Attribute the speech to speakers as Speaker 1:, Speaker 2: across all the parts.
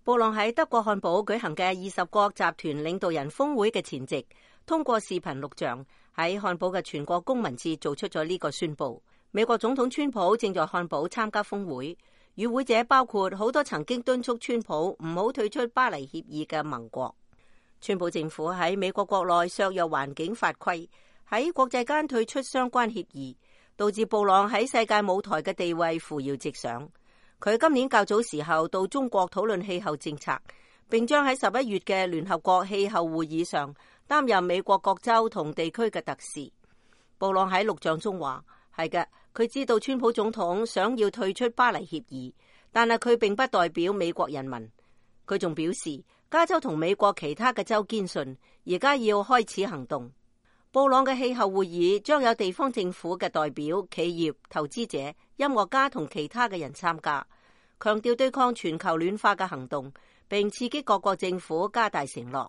Speaker 1: 布朗喺德國漢堡舉行嘅20國集團領導人峰會嘅前夕，通過視頻錄像喺漢堡嘅全國公民節做出咗呢個宣佈。美國總統川普正在漢堡參加峰會，與會者包括好多曾經敦促川普唔好退出巴黎協議嘅盟國。川普政府喺美國國內削弱環境法規，喺國際間退出相關協議，導致布朗喺世界舞台嘅地位扶搖直上。佢今年較早時候到中國討論氣候政策，並將喺11月嘅聯合國氣候會議上擔任美國各州同地區嘅特使。布朗喺錄像中話：係嘅，佢知道川普總統想要退出巴黎協議，但係佢並不代表美國人民。佢仲表示，加州同美國其他嘅州堅信，而家要開始行動。布朗嘅氣候會議將有地方政府嘅代表、企業、投資者、音樂家同其他嘅人參加，強調對抗全球暖化嘅行動，並刺激各國政府加大承諾。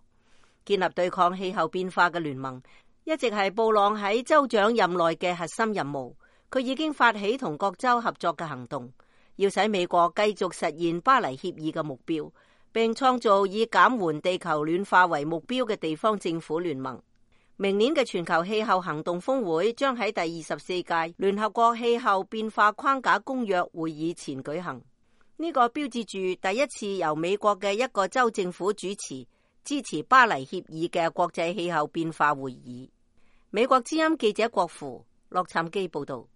Speaker 1: 建立對抗氣候變化嘅聯盟一直係布朗喺州長任內嘅核心任務。佢已經發起同各州合作嘅行動，要使美國繼續實現巴黎協議嘅目標，並創造以減緩地球暖化為目標嘅地方政府聯盟。明年嘅全球氣候行動峰會將喺第24屆聯合國氣候變化框架公約會議前舉行。呢個標誌住第一次由美國嘅一個州政府主持支持巴黎協議嘅國際氣候變化會議。美國之音記者郭芙洛杉磯報道。